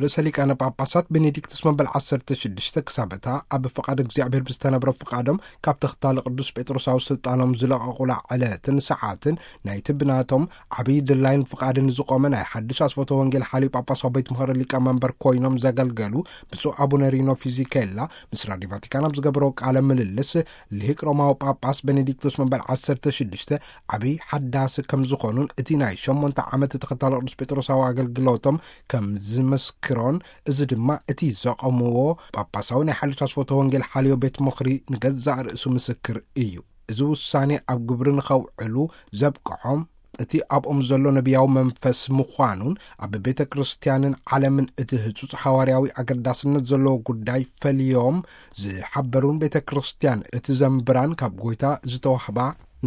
ርእሰ ሊቃነ ጳጳሳት ቤኔዲክቱስ መበል ዓሰርተ ሽዱሽተ ክሳብ እታ ኣብ ፍቓድ እግዚኣብሔር ብዝተነብረ ፍቓዶም ካብ ተኽታሊ ቅዱስ ጴጥሮሳዊ ስልጣኖም ዝለቐቑላ ዕለትን ሰዓትን ናይቲ ብናቶም ዓብዪ ድላይን ፍቓድን ዝቖመ ናይ ሓድሽ ኣስፈቶ ወንጌል ሓልዩ ጳጳሳዊ ቤት ምኽሪ ሊቀ መንበር ኮይኖም ዘገልገሉ ብፁዕ ኣቡነ ሪኖ ፊዚኬላ ምስ ራዲዮ ቫቲካን ኣብ ዝገበረው ቃለ ምልልስ፣ ልሂቅ ሮማዊ ጳጳስ ቤኔዲክቶስ መበል ዓሰርተ ሽዱሽተ ዓብዪ ሓዳሲ ከም ዝኾኑን እቲ ናይ ሸሞንተ ዓመት ተኸታሊ ቅዱስ ጴጥሮሳዊ ኣገልግሎቶም ከም ዝመስክሮን፣ እዚ ድማ እቲ ዘቐምዎ ጳጳሳዊ ናይ ሓድሽ ኣስፈቶ ወንጌል ሓልዮ ቤት ምኽሪ ንገዛእ ርእሱ ምስክር እዩ። እዚ ውሳኔ ኣብ ግብሪ ንኸውዕሉ ዘብቅዖም እቲ ኣብኦም ዘሎ ነቢያዊ መንፈስ ምዃኑን ኣብ ቤተ ክርስቲያንን ዓለምን እቲ ህጹጽ ሓዋርያዊ ኣገዳስነት ዘለዎ ጉዳይ ፈልዮም ዝሓበሩን ቤተ ክርስቲያን እቲ ዘንብራን ካብ ጎይታ ዝተዋህባ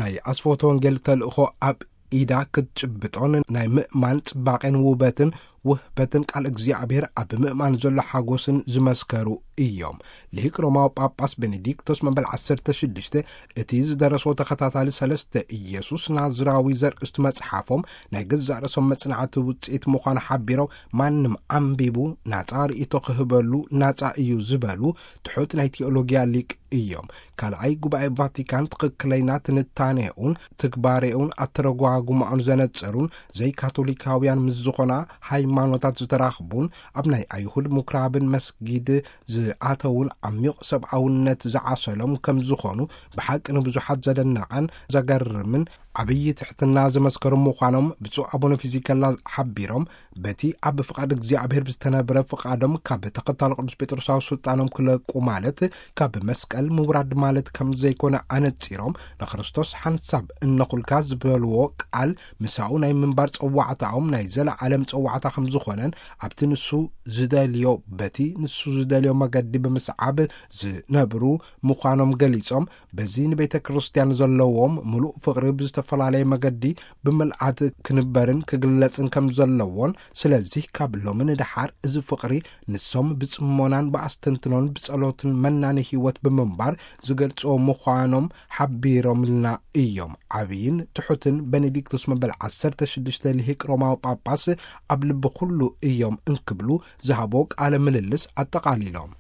ናይ ኣስፈወተ ወንጌል ተልእኾ ኣብ ኢዳ ክትጭብጦን ናይ ምእማን ጽባቄን ውበትን ውህበትን ቃል እግዚኣብሔር ኣብ ምእማን ዘሎ ሓጎስን ዝመስከሩ እዮም። ልሂቅ ሮማዊ ጳጳስ ቤኔዲክቶስ መበል ዓሰርተ ሽዱሽተ እቲ ዝደረሶ ተኸታታሊ ሰለስተ ኢየሱስ ናዝራዊ ዘርእስቱ መጽሓፎም ናይ ገዛእ ርእሶም መጽናዕቲ ውጽኢት ምዃኑ ሓቢሮም፣ ማንም ኣንቢቡ ናጻ ርእይቶ ክህበሉ ናጻ እዩ ዝበሉ ትሑት ናይ ቴዎሎጊያ ሊቅ እዮም። ካልኣይ ጉባኤ ቫቲካን ትኽክለይና ትንታኔኡን ትግባሬኡን ኣተረጓጉማኡን ዘነጸሩን ዘይካቶሊካውያን ምስ ዝኾና ሃይማኖታት ዝተራኽቡን ኣብ ናይ ኣይሁድ ምኩራብን መስጊድ ዝኣተውን ዓሚቕ ሰብኣውነት ዝዓሰሎም ከም ዝኾኑ ብሓቂ ንብዙሓት ዘደነቐን ዘገርምን ዓብዪ ትሕትና ዘመስከሩ ምዃኖም ብፁዕ ኣቡነ ፊዚከላ ሓቢሮም፣ በቲ ኣብ ፍቓድ እግዚኣብሔር ብዝተነብረ ፍቓዶም ካብ ተኸታሊ ቅዱስ ጴጥሮሳዊ ስልጣኖም ክለቁ ማለት ካብ መስቀል ምውራድ ማለት ከም ዘይኮነ ኣነጺሮም፣ ንክርስቶስ ሓንሳብ እነኹልካ ዝበልዎ ቃል ምሳኡ ናይ ምንባር ጸዋዕታኦም ናይ ዘለዓለም ጸዋዕታ ከም ዝኾነን ኣብቲ ንሱ ዝደልዮ በቲ ንሱ ዝደልዮ መገዲ ብምስዓብ ዝነብሩ ምዃኖም ገሊጾም፣ በዚ ንቤተ ክርስቲያን ዘለዎም ምሉእ ፍቕሪ ብዝተፈላለየ መገዲ ብምልኣት ክንበርን ክግለጽን ከም ዘለዎን፣ ስለዚህ ካብ ሎሚ ንደሓር እዚ ፍቕሪ ንሶም ብጽሞናን ብኣስተንትኖን ብጸሎትን መናኒ ህይወት ብምንባር ዝገልጽዎ ምዃኖም ሓቢሮምልና እዮም። ዓብይን ትሑትን ቤኔዲክቶስ መበል ዓሰርተ ሽዱሽተ ልሂቅ ሮማዊ ጳጳስ ኣብ ልቢ ኩሉ እዮም እንክብሉ ዝሃቦ ቃለ ምልልስ ኣጠቓሊሎም።